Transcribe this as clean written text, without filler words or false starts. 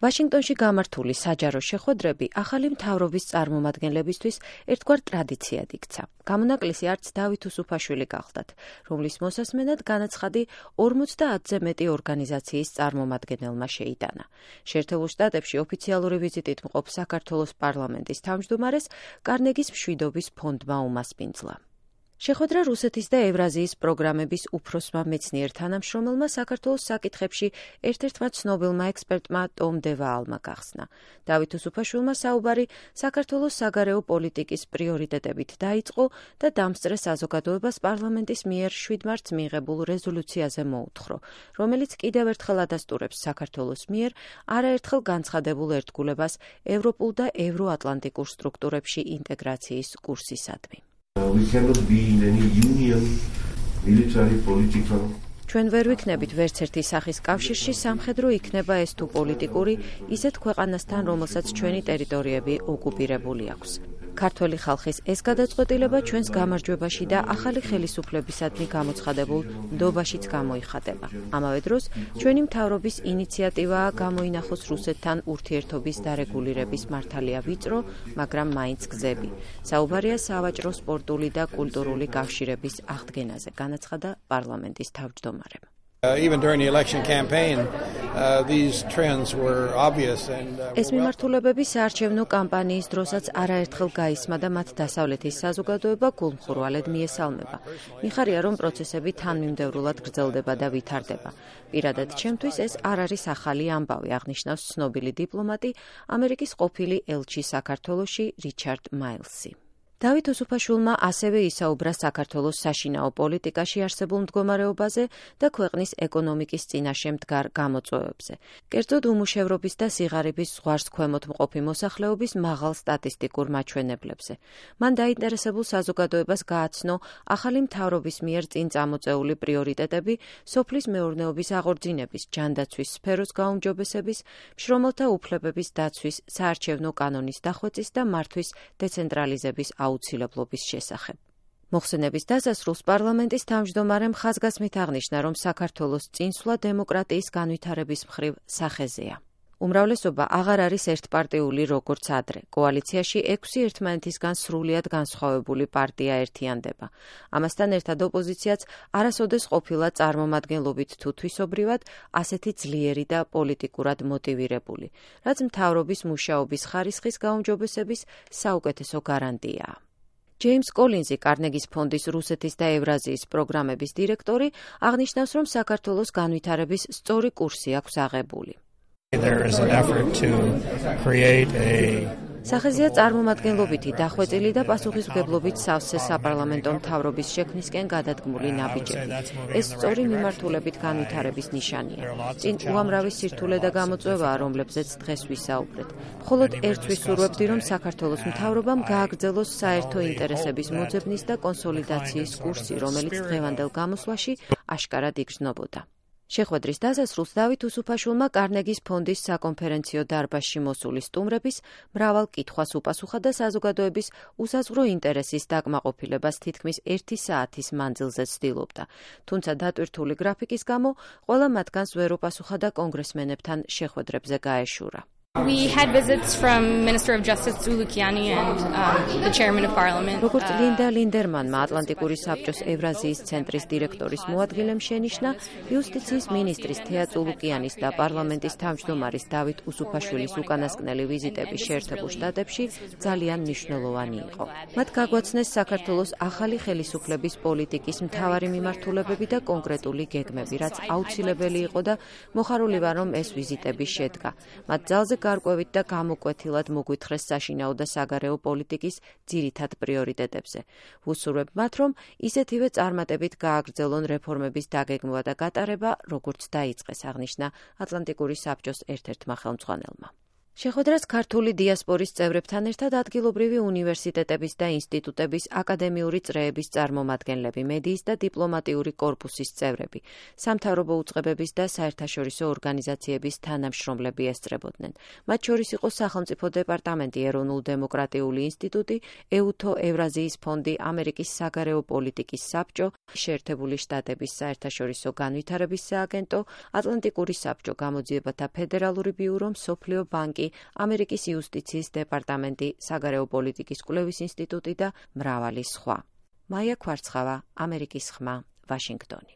ვაშინგტონში გამართული საჯარო შეხვედრები ახალი მთავრობის წარმომადგენლებისთვის ერთგვარ ტრადიციად იქცა. გამონაკლისი არც დავით უსუფაშვილი გახლდათ, რომლის მოსასმენად განაცხადი 50-ზე მეტი ორგანიზაციის წარმომადგენელმა შეიტანა. შეერთებულ შტატებში ოფიციალური ვიზიტით მყოფ საქართველოს პარლამენტის თავმჯდომარეს კარნეგის მშვიდობის ფონდმა უმასპინძლა. შეხვედრა რუსეთის და ევრაზიის პროგრამების უფროსმა მეცნიერ თანამშრომელმა საქართველოს საკითხებში ერთ-ერთმა ცნობილმა ექსპერტმა ტომ დევაალმა გახსნა. დავით უსუფაშვილმა საუბარი საქართველოს საგარეო პოლიტიკის პრიორიტეტებით დაიწყო და დამსწრე საზოგადოებას პარლამენტის მიერ 7 მარტს მიღებულ რეზოლუციაზე მოუთხრო, რომელიც კიდევ ერთხელ ადასტურებს საქართველოს მიერ არაერთხელ განცხადებულ ერთგულებას ევროპულ და ევროატლანტიკურ სტრუქტურებში ინტეგრაციის კურსისადმი. We cannot be in any union, military, political. ჩვენ ვერ ვიქნებით ვერც ერთი სახის კავშირში, სამხედრო იქნება ეს თუ პოლიტიკური, ისეთ ქვეყანასთან, რომელსაც ჩვენი ტერიტორიები ოკუპირებული აქვს. ქართველი ხალხის ეს გადაწყვეტილება ჩვენს გამარჯვებაში და ახალი ხელისუფლებისადმი გამოცხადებულ ნდობაშიც გამოიხატება. ამავე დროს, ჩვენი მთავრობის ინიციატივაა გამოინახოს რუსეთთან ურთიერთობის დარეგულირების მართალია ვიწრო, მაგრამ მაინც გზები. საუბარია სავაჭრო, სპორტული და კულტურული კავშირების აღდგენაზე, განაცხადა პარლამენტის თავმჯდომარემ. Even during the election campaign, these trends were obvious and ეს მიმართულებები საარჩევნო კამპანიის დროსაც არაერთხელ გაისმა და მათ დასავლეთის საზოგადოება გულმხურვალედ მიესალმება. მიხარია, რომ პროცესები თანმიმდევრულად გრძელდება და ვითარდება. პირადად ჩემთვის ეს არ არის ახალი ამბავი, აღნიშნავს ცნობილი დიპლომატი, ამერიკის ყოფილი ელჩი საქართველოში რიჩარდ მაილსი. დავით უსუფაშვილმა ასევე ისაუბრა საქართველოს საშინაო პოლიტიკაში არსებულ მდგომარეობაზე და ქვეყნის ეკონომიკის წინაშე მდგარ გამოწვევებზე. კერძოდ უმუშევრობის და სიღარიბის ზღვარს ქვემოთ მყოფი მოსახლეობის მაღალ სტატისტიკურ მაჩვენებლებზე. მან დაინტერესებულ საზოგადოებას გააცნო ახალი მთავრობის მიერ წინ წამოწეული პრიორიტეტები სოფლის მეურნეობის აღორძინების, ჯანდაცვის სფეროს გაუმჯობესების, მშრომელთა უფლებების დაცვის, საარჩევნო კანონის დახვეწის და მართვის დეცენტრალიზების აუცილებლობის შესახებ. მოხსენების დასასრულს პარლამენტის თავმჯდომარემ ხაზგასმით აღნიშნა, რომ საქართველოს წინსვლა დემოკრატიის განვითარების მხრივ სახეზეა. უმრავლესობა აღარ არის ერთპარტიული როგორც ადრე. კოალიციაში 6 ერთმანეთისგან სრულიად განსხვავებული პარტია ერთიანდება. ამასთან ერთად ოპოზიციაც არასოდეს ყოფილა წარმომადგენლობით თუ თვისობრივად ასეთი ძლიერი და პოლიტიკურად მოტივირებული, რაც მთავრობის მუშაობის ხარისხის გაუმჯობესების საუკეთესო გარანტიაა. ჯეიმს კოლინზი, კარნეგის ფონდის რუსეთის და ევრაზიის პროგრამების დირექტორი, აღნიშნავს, რომ საქართველოს განვითარების სწორი კურსი აქვს აღებული. სახეზეა წარმომადგენლობითი, დახვეწილი და პასუხისმგებლობით სავსე საპარლამენტო მთავრობის შექმნისკენ გადადგმული ნაბიჯები. ეს სწორი მიმართულებით განვითარების ნიშანია. წინ უამრავი სირთულე და გამოწვევაა, რომლებზეც დღეს ვისაუბრეთ. მხოლოდ ერთს ვისურვებდი, რომ საქართველოს მთავრობამ გააგრძელოს საერთო ინტერესების მოძებნის და კონსოლიდაციის კურსი, რომელიც დღევანდელ გამოსვლაში აშკარად იგრძნობოდა. შეხვედრის დასასრულს დავით უსუფაშვილმა კარნეგის ფონდის საკონფერენციო დარბაზში მოსული სტუმრების მრავალ კითხვას უპასუხა და საზოგადოების უსაზღვრო ინტერესის დაკმაყოფილებას თითქმის 1 საათის მანძილზე ცდილობდა. თუმცა დატვირთული გრაფიკის გამო ყველა მათგანს ვერ უპასუხა და კონგრესმენებთან შეხვედრებზე გაეშურა. We had visits from Minister of Justice Zulukiani and the Chairman of Parliament. როგორც ლინდა ლინდერმანმა ატლანტიკური საბჭოს ევრაზიის ცენტრის დირექტორის მოადგილემ შენიშნა, იუსტიციის მინისტრის თეა ზულუკიანის და პარლამენტის თავმჯდომარის დავით უსუფაშვილის უკანასკნელი ვიზიტები შეერთებულ შტატებში ძალიან მნიშვნელოვანი იყო. მათ გაგვაცნეს საქართველოს ახალი ხელისუფლების პოლიტიკის მთავარი მიმართულებები და კონკრეტული გეგმები, რაც აუცილებელი იყო და მოხარული ვარ, რომ ეს ვიზიტები შედგა. მათ ძალზე გარკვევით და გამოკვეთილად მოგვითხრეს საშინაო და საგარეო პოლიტიკის ძირითად პრიორიტეტებზე. ვუსურვებ მათ, რომ ისეთივე წარმატებით გააგრძელონ რეფორმების დაგეგმვა და გატარება, როგორც დაიწყეს, აღნიშნა ატლანტიკური საბჭოს ერთ-ერთმა ხელმძღვანელმა. შეხვედრას ქართული დიასპორის წევრებთან ერთად ადგილობრივი უნივერსიტეტების და ინსტიტუტების აკადემიური წრეების წარმომადგენლები, მედიის და დიპლომატიური კორპუსის წევრები, სამთავრობო უწყებების და საერთაშორისო ორგანიზაციების თანამშრომლები ესწრებოდნენ. მათ შორის იყო სახელმწიფო დეპარტამენტი, ეროვნულ-დემოკრატიული ინსტიტუტი, EUTO ევრაზიის ფონდი, ამერიკის საგარეო პოლიტიკის საბჭო, შეერთებული შტატების საერთაშორისო განვითარების სააგენტო, ატლანტიკური საბჭო, გამოძიებათა ფედერალური ბიურო, მსოფლიო ბანკი, ამერიკის იუსტიციის დეპარტამენტი, საგარეო პოლიტიკის კვლევის ინსტიტუტი და მრავალი სხვა. მაია ქვარცხავა, ამერიკის ხმა, ვაშინგტონი.